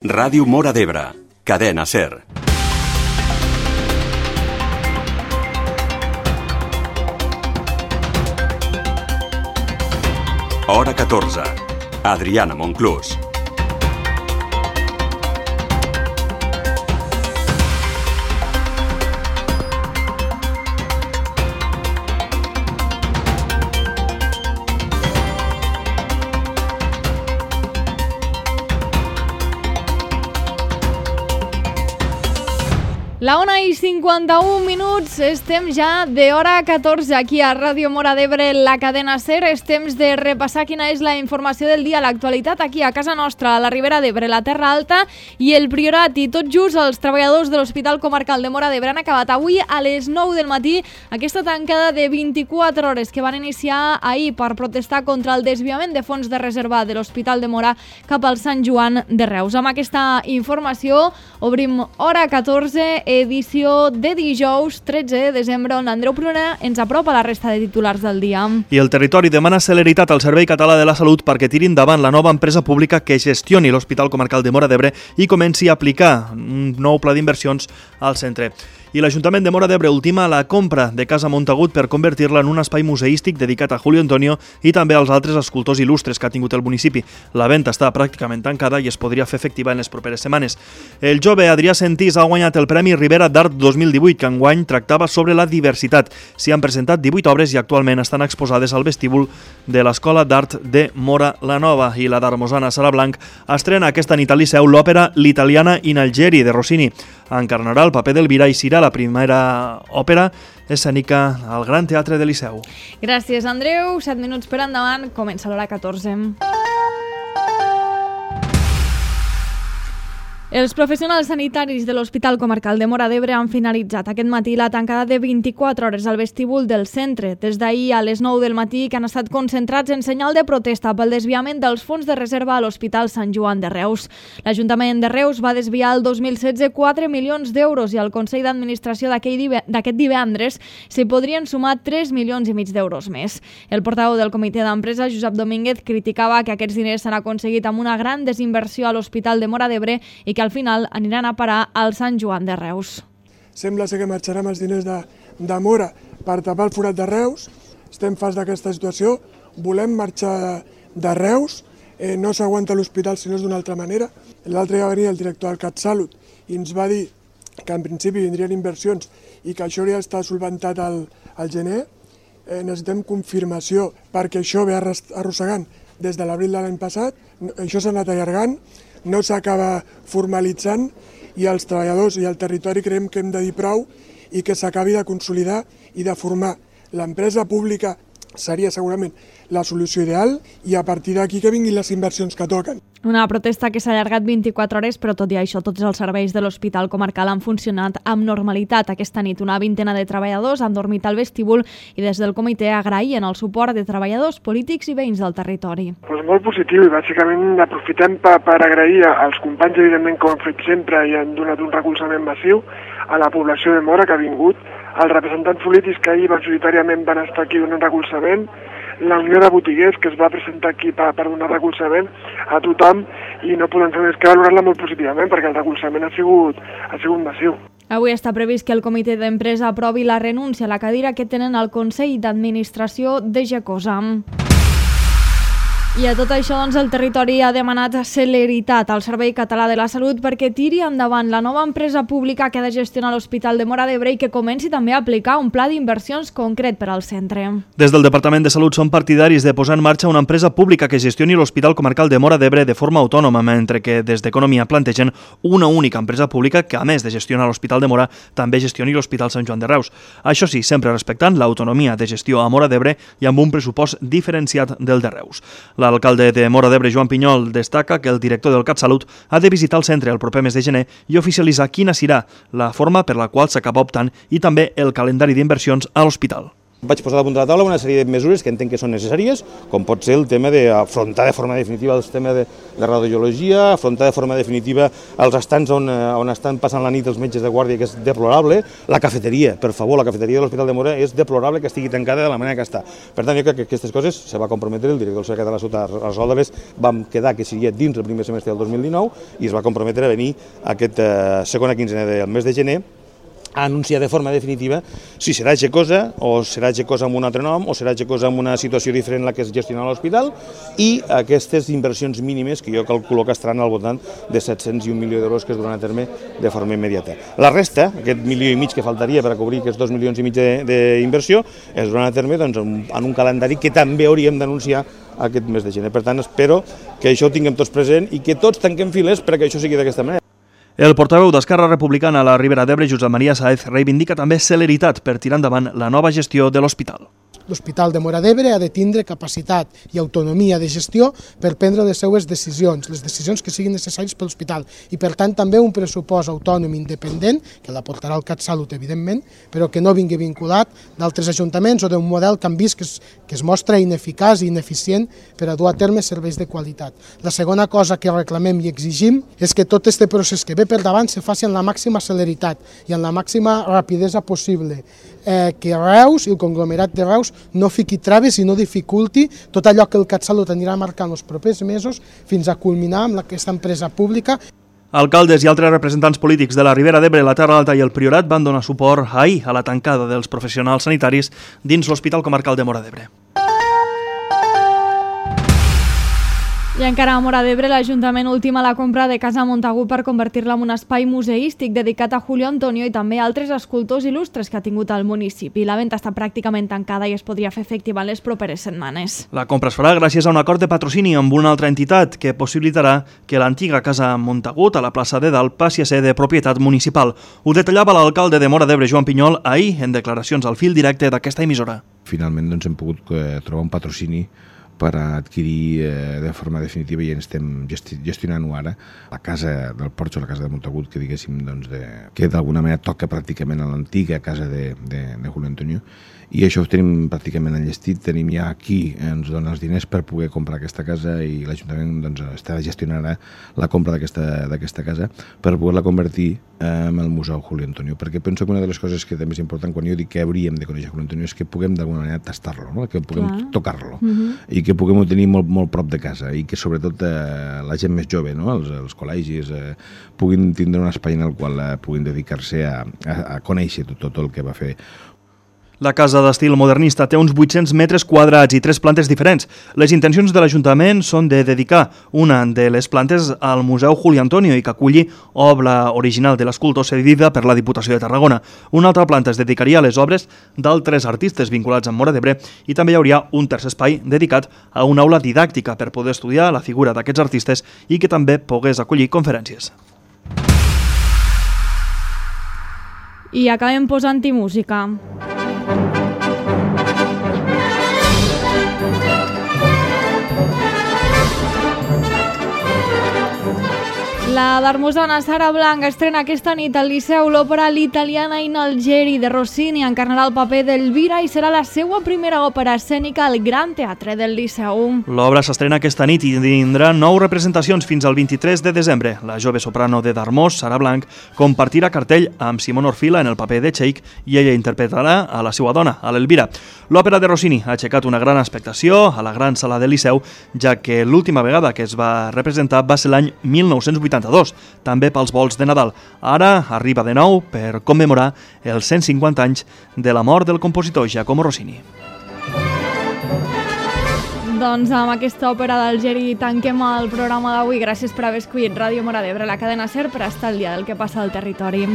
Ràdio Móra d'Ebre, cadena SER. Hora 14. Adriana Monclús. La 1:51, estem ja de hora 14 aquí a Ràdio Móra d'Ebre, la cadena SER. És temps de repassar quina és la informació del dia, l'actualitat aquí a casa nostra, a la Ribera d'Ebre, la Terra Alta i el Priorat. I tot just els treballadors de l'Hospital Comarcal de Móra d'Ebre han acabat avui a les 9 del matí aquesta tancada de 24 hores que van iniciar ahir per protestar contra el desviament de fons de reserva de l'Hospital de Móra cap al Sant Joan de Reus. Amb aquesta informació obrim hora 14, edició de dijous 13 de desembre, on Andreu Pruna ens apropa la resta de titulars del dia. I el territori demana celeritat al Servei Català de la Salut perquè tiri endavant la nova empresa pública que gestioni l'Hospital Comarcal de Móra d'Ebre i comenci a aplicar un nou pla d'inversions al centre. I l'Ajuntament de Móra d'Ebre ultima la compra de Casa Montagut per convertir-la en un espai museístic dedicat a Julio Antonio i també als altres escultors il·lustres que ha tingut el municipi. La venda està pràcticament tancada i es podria fer efectiva en les properes setmanes. El jove Adrià Sentís ha guanyat el Premi Ribera d'Art 2018, que enguany tractava sobre la diversitat. S'hi han presentat 18 obres i actualment estan exposades al vestíbul de l'Escola d'Art de Móra la Nova. I la d'Armosana Sara Blanc estrena aquesta nit al Liceu l'òpera L'Italiana in Algeri de Rossini. Encarnarà el paper d'Elvira i serà la primera òpera escènica al Gran Teatre de Liceu. Gràcies, Andreu. 7 minuts per endavant. Comença l'hora 14. Els professionals sanitaris de l'Hospital Comarcal de Móra d'Ebre han finalitzat aquest matí la tancada de 24 hores al vestíbul del centre. Des d'ahir a les 9 del matí, que han estat concentrats en senyal de protesta pel desviament dels fons de reserva a l'Hospital Sant Joan de Reus. L'Ajuntament de Reus va desviar el 2016 4 milions d'euros i al Consell d'Administració d'aquest divendres s'hi podrien sumar 3 milions i mig d'euros més. El portaveu del comitè d'empresa, Josep Domínguez, criticava que aquests diners s'han aconseguit amb una gran desinversió a l'Hospital de Móra d'Ebre i que al final aniran a parar al Sant Joan de Reus. Sembla ser que marxarem els diners de Móra per tapar el forat de Reus. Estem farts d'aquesta situació, volem marxar de Reus, no s'aguanta l'hospital si no és d'una altra manera. L'altre dia va venir el director del CatSalut i ens va dir que en principi vindrien inversions i que això hauria d'estar solventat al gener. Necessitem confirmació perquè això ve arrossegant des de l'abril de l'any passat, això s'ha anat allargant, no s'acaba formalitzant i els treballadors i el territori creiem que hem de dir prou i que s'acabi de consolidar i de formar. L'empresa pública seria segurament la solució ideal i a partir d'aquí que vinguin les inversions que toquen. Una protesta que s'ha allargat 24 hores, però tot i això tots els serveis de l'Hospital Comarcal han funcionat amb normalitat. Aquesta nit una vintena de treballadors han dormit al vestíbul i des del comitè agraïen el suport de treballadors, polítics i veïns del territori. Pues molt positiu i bàsicament aprofitem per agrair als companys, evidentment, com han fet sempre i han donat un recolzament massiu a la població de Móra que ha vingut, als representants polítics que ahir majoritàriament van estar aquí donant recolzament, la Unió de Botiguers que es va presentar aquí per donar recolzament a tothom i no podem fer més que valorar-la molt positivament perquè el recolzament ha sigut massiu. Avui està previst que el comitè d'empresa aprovi la renúncia a la cadira que tenen al Consell d'Administració de Gecosa. I a tot això, doncs, el territori ha demanat celeritat al Servei Català de la Salut perquè tiri endavant la nova empresa pública que ha de gestionar l'Hospital de Móra d'Ebre i que comenci també a aplicar un pla d'inversions concret per al centre. Des del Departament de Salut són partidaris de posar en marxa una empresa pública que gestioni l'Hospital Comarcal de Móra d'Ebre de forma autònoma, mentre que des d'Economia plantegen una única empresa pública que, a més de gestionar l'Hospital de Móra, també gestioni l'Hospital Sant Joan de Reus. Això sí, sempre respectant l'autonomia de gestió a Móra d'Ebre i amb un pressupost diferenciat del de Reus. L'alcalde de Móra d'Ebre, Joan Pinyol, destaca que el director del CatSalut ha de visitar el centre el proper mes de gener i oficialitzar quina serà la forma per la qual s'acaba optant i també el calendari d'inversions a l'hospital. Vaig posar damunt de la taula una sèrie de mesures que entenc que són necessàries, com pot ser el tema d'afrontar de forma definitiva el tema de radiologia, afrontar de forma definitiva els estants on estan passant la nit els metges de guàrdia, que és deplorable. La cafeteria, per favor, la cafeteria de l'Hospital de Móra és deplorable que estigui tancada de la manera que està. Per tant, jo crec que aquestes coses se va comprometre el director del Servei Català de la Salut a resoldre-les. Vam quedar que seria dins el primer semestre del 2019 i es va comprometre a venir aquesta segona quinzena del mes de gener a anunciar de forma definitiva si serà Gecosa o serà Gecosa amb un altre nom o serà Gecosa amb una situació diferent la que es gestiona a l'hospital i aquestes inversions mínimes que jo calculo que estaran al voltant de 701 milions d'euros que es duran a terme de forma immediata. La resta, aquest 1,5 milions que faltaria per a cobrir aquests 2,5 milions d'inversió, es duran a terme en un calendari que també hauríem d'anunciar aquest mes de gener. Per tant, espero que això ho tinguem tots present i que tots tanquem files perquè això sigui d'aquesta manera. El portaveu d'Esquerra Republicana a la Ribera d'Ebre, Josep Maria Sáez, reivindica també celeritat per tirar endavant la nova gestió de l'hospital. L'Hospital de Móra d'Ebre ha de tindre capacitat i autonomia de gestió per prendre les seues decisions, les decisions que siguin necessàries per l'hospital i per tant també un pressupost autònom independent, que l'aportarà el CatSalut evidentment, però que no vingui vinculat d'altres ajuntaments o d'un model que han vist que es mostra ineficaç i ineficient per a dur a terme serveis de qualitat. La segona cosa que reclamem i exigim és que tot aquest procés que ve per davant se faci amb la màxima celeritat i amb la màxima rapidesa possible, que Reus i el conglomerat de Reus no fiqui traves i no dificulti tot allò que el CatSalut anirà marcant els propers mesos fins a culminar amb aquesta empresa pública. Alcaldes i altres representants polítics de la Ribera d'Ebre, la Terra Alta i el Priorat van donar suport ahir a la tancada dels professionals sanitaris dins l'Hospital Comarcal de Móra d'Ebre. I encara a Móra d'Ebre, l'Ajuntament ultima la compra de Casa Montagut per convertir-la en un espai museístic dedicat a Julio Antonio i també a altres escultors il·lustres que ha tingut el municipi. La venda està pràcticament tancada i es podria fer efectiva en les properes setmanes. La compra es farà gràcies a un acord de patrocini amb una altra entitat que possibilitarà que l'antiga Casa Montagut a la plaça de Dalt passi a ser de propietat municipal. Ho detallava l'alcalde de Móra d'Ebre, Joan Pinyol, ahir en declaracions al fil directe d'aquesta emissora. Finalment hem pogut trobar un patrocini per adquirir de forma definitiva i estem gestionant-ho ara la casa del Porxo, la casa de Montagut, que diguéssim que d'alguna manera toca pràcticament a l'antiga casa de Julio Antonio, i això ho tenim pràcticament enllestit. Tenim ja aquí, ens dona els diners per poder comprar aquesta casa i l'Ajuntament està gestionant la compra d'aquesta casa per poder-la convertir en el Museu Julio Antonio, perquè penso que una de les coses que també és important quan jo dic que hauríem de conèixer Julio Antonio és que puguem d'alguna manera tastar-lo, no? Que puguem tocar-lo i que puguem tenir molt prop de casa i que sobretot la gent més jove, no? els col·legis, puguin tindre un espai en el qual puguin dedicar-se a conèixer tot el que va fer. La casa d'estil modernista té uns 800 metres quadrats i 3 plantes diferents. Les intencions de l'Ajuntament són de dedicar una de les plantes al Museu Julio Antonio i que aculli obra original de l'escultor cedida per la Diputació de Tarragona. Una altra planta es dedicaria a les obres d'altres artistes vinculats amb Móra d'Ebre i també hi hauria un tercer espai dedicat a una aula didàctica per poder estudiar la figura d'aquests artistes i que també pogués acollir conferències. I acabem posant-hi música. La d'Hermosona Sara Blanc estrena aquesta nit al Liceu l'òpera L'italiana in Algeri de Rossini. Encarnarà el paper d'Elvira i serà la seva primera òpera escènica al Gran Teatre del Liceu. L'obra s'estrena aquesta nit i tindrà 9 representacions fins al 23 de desembre. La jove soprano de Darmós, Sara Blanc, compartirà cartell amb Simon Orfila en el paper de Cheik i ella interpretarà a la seva dona, a l'Elvira. L'òpera de Rossini ha aixecat una gran expectació a la gran sala del Liceu, ja que l'última vegada que es va representar va ser l'any 1982, també pels volts de Nadal. Ara arriba de nou per commemorar els 150 anys de la mort del compositor Giacomo Rossini. Doncs amb aquesta òpera d'Algeri tanquem el programa d'avui. Gràcies per haver escollit Ràdio Móra d'Ebre, la cadena SER, per estar al dia del que passa al territori.